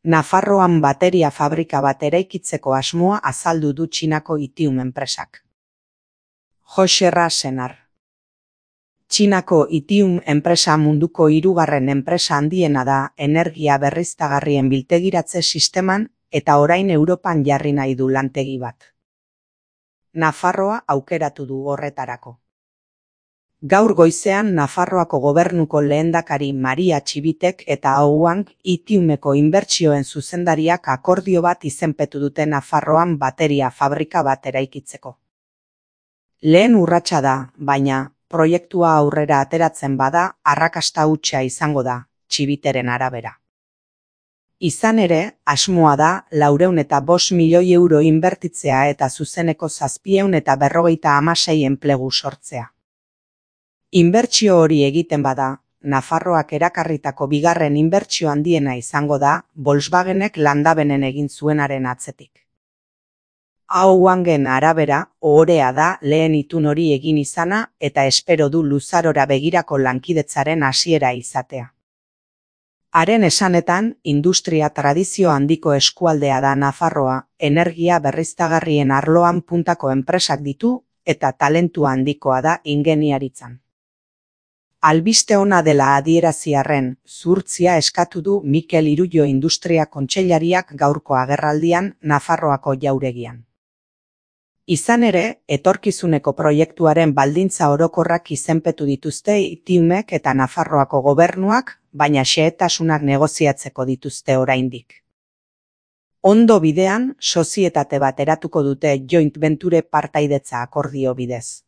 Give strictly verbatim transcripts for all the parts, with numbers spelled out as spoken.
Nafarroan bateria fabrika bat eraikitzeko asmoa azaldu du Txinako Itium enpresak. Joxerra Senar. Txinako Itium enpresa munduko hirugarren enpresa handiena da energia berriztagarrien biltegiratze sisteman eta orain Europan jarri nahi du lantegi bat. Nafarroa aukeratu du horretarako. Gaur goizean Nafarroako gobernuko lehendakari Maria Txibitek eta Houang Itiumeko inbertsioen zuzendariak akordio bat izenpetu dute Nafarroan bateria fabrika bat eraikitzeko. Lehen urratsa da, baina proiektua aurrera ateratzen bada arrakasta hutsa izango da, Txibiteren arabera. Izan ere, asmoa da laurehun eta bost milioi euro inbertitzea eta zuzeneko zazpiehun eta berrogeita hamasei enplegu sortzea. Inbertsio hori egiten bada, Nafarroak erakarritako bigarren inbertsio handiena izango da Volkswagenek Landabenen egin zuenaren atzetik. Houangen arabera, ohorea da lehen itun hori egin izana eta espero du luzarora begirako lankidetzaren hasiera izatea. Haren esanetan, industria tradizio handiko eskualdea da Nafarroa, energia berriztagarrien arloan puntako enpresak ditu eta talentu handikoa da ingeniaritzan. Albiste ona dela adieraziarren, zuhurtzia eskatu du Mikel Irullo Industria Kontseilariak gaurko agerraldian Nafarroako jauregian. Izan ere, etorkizuneko proiektuaren baldintza orokorrak izenpetu dituzte Itiumek eta Nafarroako gobernuak, baina xehetasunak negoziatzeko dituzte oraindik. Ondo bidean, sozietate bat eratuko dute joint venture partaidetza akordio bidez.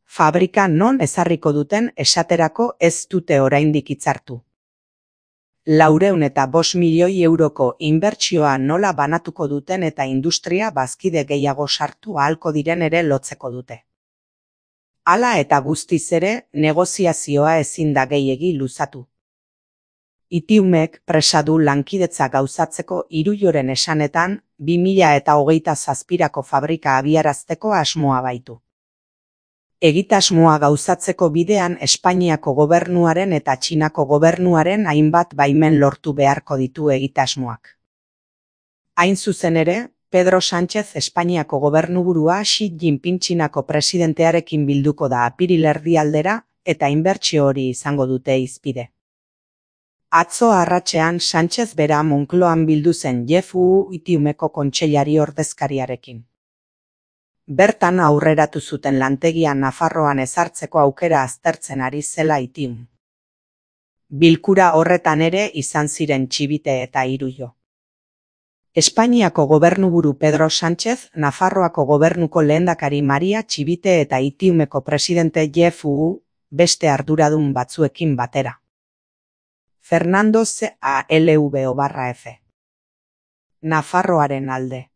Fabrika non ezarriko duten esaterako ez dute oraindik hitzartu. Laurehun eta bost milioi euroko inbertsioa nola banatuko duten eta industria bazkide gehiago sartu ahalko diren ere lotzeko dute. Hala eta guztiz ere, negoziazioa ezin da gehiegi luzatu. Itiumek presa du lankidetza gauzatzeko Irulloren esanetan, bi mila eta hogeita zazpirako fabrika abiarazteko asmoa baitu. Egitasmoa gauzatzeko bidean Espainiako gobernuaren eta Txinako gobernuaren hainbat baimen lortu beharko ditu egitasmoak. Hain zuzen ere, Pedro Sánchez Espainiako gobernuburua Xi Jinping Txinako presidentearekin bilduko da apiril erdialdera eta inbertsio hori izango dute hizpide. Atzo arratsean Sánchez bera Moncloan bildu zen Jeff Wu Itiumeko kontseilari ordezkariarekin. Bertan aurreratu zuten lantegian Nafarroan ezartzeko aukera aztertzen ari zela Itium. Bilkura horretan ere izan ziren Txibite eta Irullo. Espainiako gobernuburu Pedro Sánchez, Nafarroako gobernuko lehendakari Maria Txibite eta Itiumeko presidente Jeff Wu beste arduradun batzuekin batera. Fernando Z A L V O barra F. Nafarroaren alde.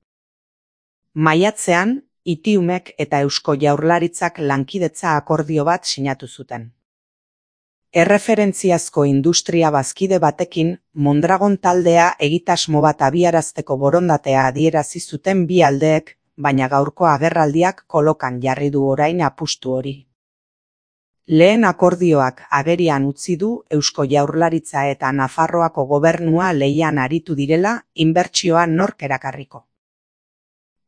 Maiatzean, Itiumek eta Eusko Jaurlaritzak lankidetza akordio bat sinatu zuten. Erreferentziazko industria bazkide batekin Mondragon taldea egitasmo bat abiarazteko borondatea adierazi zuten bi aldeek, baina gaurko agerraldiak kolokan jarri du orain apustu hori. Lehen akordioak agerian utzi du Eusko Jaurlaritza eta Nafarroako gobernua lehian aritu direla inbertsioa nork erakarriko.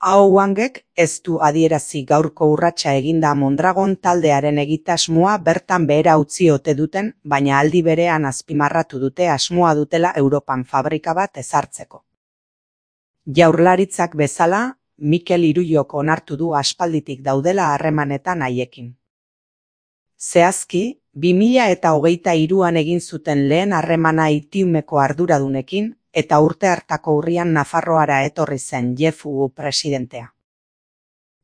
Houangek ez du adierazi gaurko urratsa eginda Mondragon taldearen egitasmoa bertan behera utzi ote duten, baina aldi berean azpimarratu dute asmoa dutela Europan fabrika bat ezartzeko. Jaurlaritzak bezala, Mikel Irullok onartu du aspalditik daudela harremanetan haiekin. Zehazki, bi mila eta hogeita hiruan egin zuten lehen harremana Itiumeko arduradunekin, eta urte hartako urrian Nafarroara etorri zen Jeff Wu presidentea.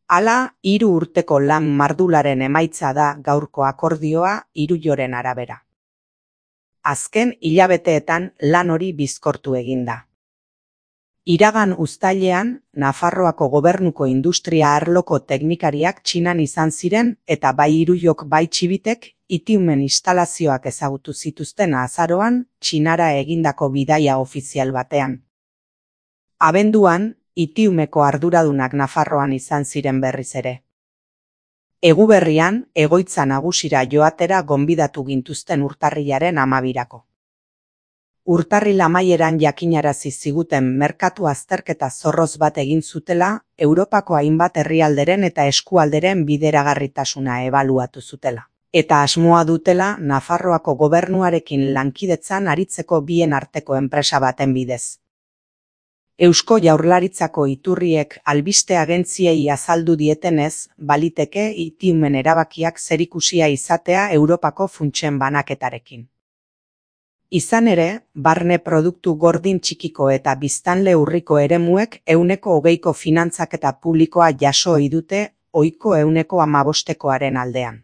Hala, hiru urteko lan mardularen emaitza da gaurko akordioa Irulloren arabera. Azken hilabeteetan lan hori bizkortu eginda. Iragan uztailean, Nafarroako gobernuko industria arloko teknikariak Txinan izan ziren eta bai Irullok bai Txibitek Itiumen instalazioak ezagutu zituzten azaroan Txinara egindako bidaia ofizial batean. Abenduan, Itiumeko arduradunak Nafarroan izan ziren berriz ere. Eguberrian, egoitza nagusira joatera gonbidatu gintuzten urtarrilaren hamabirako. Urtarril amaieran jakinarazi ziguten merkatu azterketa zorroz bat egin zutela, Europako hainbat herrialderen eta eskualderen bideragarritasuna ebaluatu zutela. Eta asmoa dutela Nafarroako gobernuarekin lankidetzan aritzeko bien arteko enpresa baten bidez. Eusko Jaurlaritzako iturriek albiste agentziei azaldu dietenez, baliteke Itiumen erabakiak zerikusia izatea Europako funtsen banaketarekin. Izan ere, barne produktu gordin txikiko eta biztanle urriko eremuek ehuneko hogeiko finantzaketa publikoa jaso ohi dute ohiko ehuneko hamabostekoaren aldean.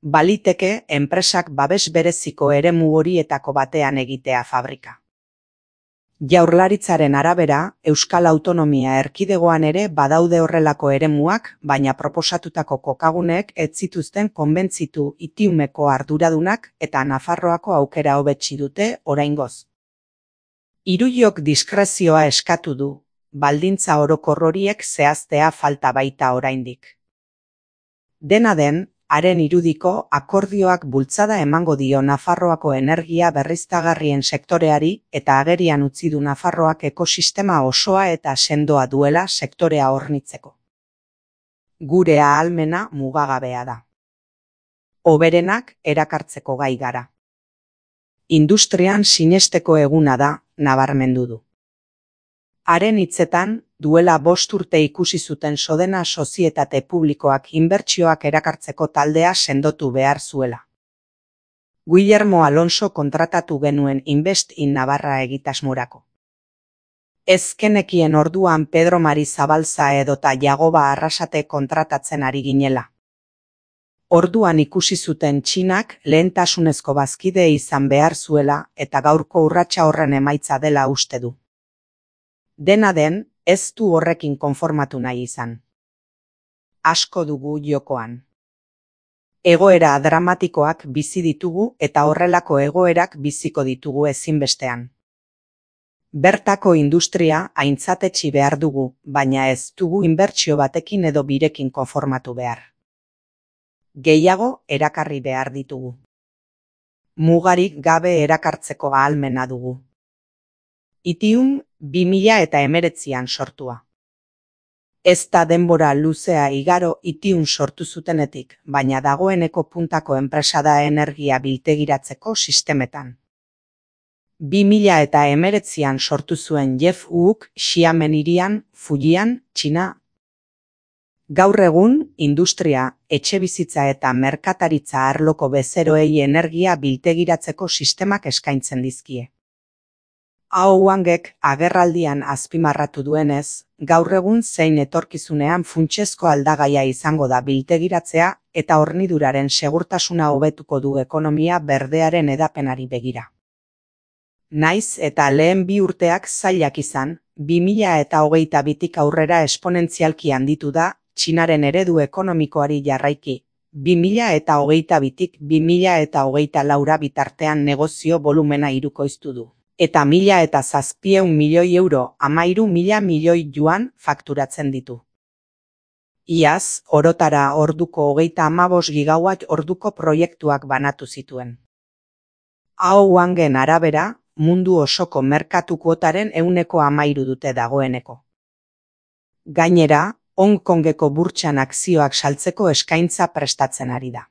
Baliteke enpresak babes bereziko eremu horietako batean egitea fabrika. Jaurlaritzaren arabera, Euskal Autonomia Erkidegoan ere badaude horrelako eremuak, baina proposatutako kokaguneek ez zituzten konbentzitu Itiumeko arduradunak eta Nafarroako aukera hobetsi dute oraingoz. Iruiok diskrezioa eskatu du, baldintza orokor horiek zehaztea falta baita oraindik. Dena den, haren irudiko akordioak bultzada emango dio Nafarroako energia berriztagarrien sektoreari eta agerian utzi du Nafarroak ekosistema osoa eta sendoa duela sektorea hornitzeko. Gure ahalmena mugagabea da. Hoberenak erakartzeko gai gara. Industrian sinesteko eguna da, nabarmendu du. Haren hitzetan, duela bost urte ikusi zuten Sodena sozietate publikoak inbertsioak erakartzeko taldea sendotu behar zuela. Guillermo Alonso kontratatu genuen Invest in Navarra egitasmorako. Ez genekien orduan Pedro Mari Zabalza edota Jagoba Arrasate kontratatzen ari ginela. Orduan ikusi zuten Txinak lehentasunezko bazkide izan behar zuela eta gaurko urratsa horren emaitza dela uste du. Dena den, ez du horrekin konformatu nahi izan. Asko dugu jokoan. Egoera dramatikoak bizi ditugu eta horrelako egoerak biziko ditugu ezinbestean. Bertako industria aintzatetsi behar dugu, baina ez dugu inbertsio batekin edo birekin konformatu behar. Gehiago erakarri behar ditugu. Mugarik gabe erakartzeko ahalmena dugu. Itium bi mila hemeretzian sortua. Ez da denbora luzea igaro Itium sortu zutenetik, baina dagoeneko puntako enpresa da energia biltegiratzeko sistemetan. bi mila hemeretzian sortu zuen Jeff Wook Xiamen hirian, Fujian, Txina. Gaur egun, industria, etxebizitza eta merkataritza arloko bezeroei energia biltegiratzeko sistemak eskaintzen dizkie. Hau Wangek agerraldian azpimarratu duenez, gaur egun zein etorkizunean funtsezko aldagaia izango da biltegiratzea eta horniduraren segurtasuna hobetuko du ekonomia berdearen edapenari begira. Naiz eta lehen bi urteak zailak izan, bi mila hogeita bitik aurrera esponentzialki handitu da Txinaren eredu ekonomikoari jarraiki, bi mila hogeita bitik bi mila hogeita laura bitartean negozio volumena hirukoiztu du. Eta mila eta zazpieun milioi euro hamairu mila milioi yuan fakturatzen ditu. Iaz, orotara orduko hogeita hamabost gigawatt orduko proiektuak banatu zituen. Hau Wangen arabera, mundu osoko merkatu kuotaren ehuneko hamairu dute dagoeneko. Gainera, Hong Kongeko burtsan akzioak saltzeko eskaintza prestatzen ari da.